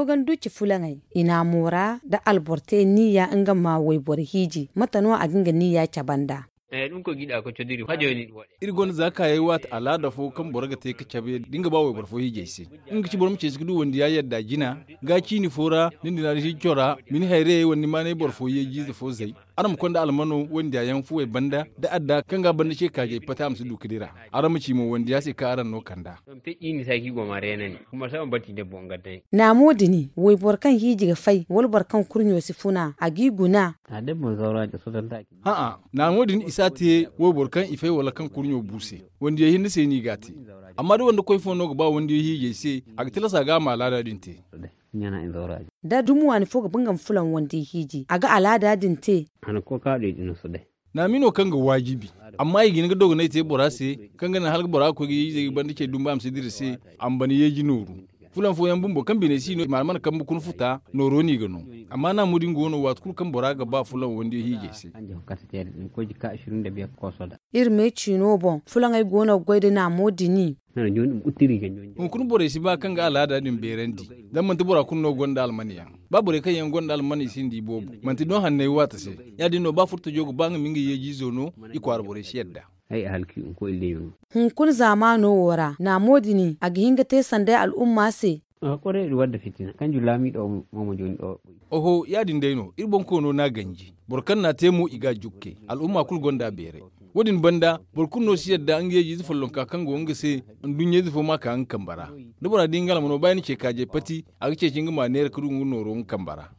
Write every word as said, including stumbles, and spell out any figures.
Ganduci fulaŋey, i naamo ra nda alboro te niiya nga ma wayboro hiiji, mate no a ga nga niiya cabe nd'a? Iri gonda za kaayey waati alaada fo kaŋ boro ga te ga cabe da nga ba wayboro fo hiijay se. Nga ga ci boro ma ceeci ga du wandiya yadda jina ga ciini fo ra, ni na ni na hiiji cora, ma ni hayrayey wala ni maanay boro fo yeeji ize fo zay. Araŋ ma konda almano wandiya yaŋ fuwey banda da adda kaŋ ga a banda ce kaajey pati a ma si du ga dira. Araŋ ma ci mo wandiya se kaŋ araŋ no kand'a. Naamo din, wayboro kaŋ hiiji ga fay wala boro kaŋ kurɲo si funa a g'i guna. A'a, naamo din i si a te wayboro kaŋ i fay wala kaŋ kurɲo bu se. Wandiyey hinne se no i g'a te. Amma da wande koy fo no ga ba wandiyey hiijay se, a ga tilas a ga a ma alaada din te. Da dumi waani fo ga ba nga ma fulaŋ wandiyey hiiji a ga alaada din te. Naami no kaŋ ga waajibi. Amma i ga hin ga dogonay te bora se, kaŋ ga naŋ hala bora ga koy ga yeejizey ga banda cey dumbu a ma si dira se, a ma bana yeeji nooru. Fulaŋ fooyaŋ bumbo kaŋ biney si no i ma alman kambe kuna futa nooro no i ga no. Amma naamo din go no waati kulu kaŋ bora ga ba fulaŋ wandiyey hiijay se. Iri me ciino boŋ fulaŋey go no ga goy nda naamo din. Hunkuna borey si ba kaŋ ga alaada din beerandi. Zama manti bora kulu no gonda almaniyaŋ. Ba borey kaŋ yaŋ gonda almaney sinda i boobo manti no hanney waati se. Ya-din no ba furtajo ga ba nga ma nga yeeji izo no, i kwaara borey si yadda. Hunkuna zaamaano wo ra naamo din a ga hin ga te sanday al'umma se. Oho, ya-din day no iri boŋ koono no a ganji. Boro kaŋ n'a te mo i ga a jukke. Al'umma kulu gonda a beeray. Wo-din banda, boro kulu no si yadda nga yeeji ize follonka kaŋ go nga se. Nduɲɲa ize fo ma ka nga kambe ra. Da bora di nga almano ba ya ni ce kaajey pati, a ga ceeci nga ma neera ga du nga nooro nga kambe ra.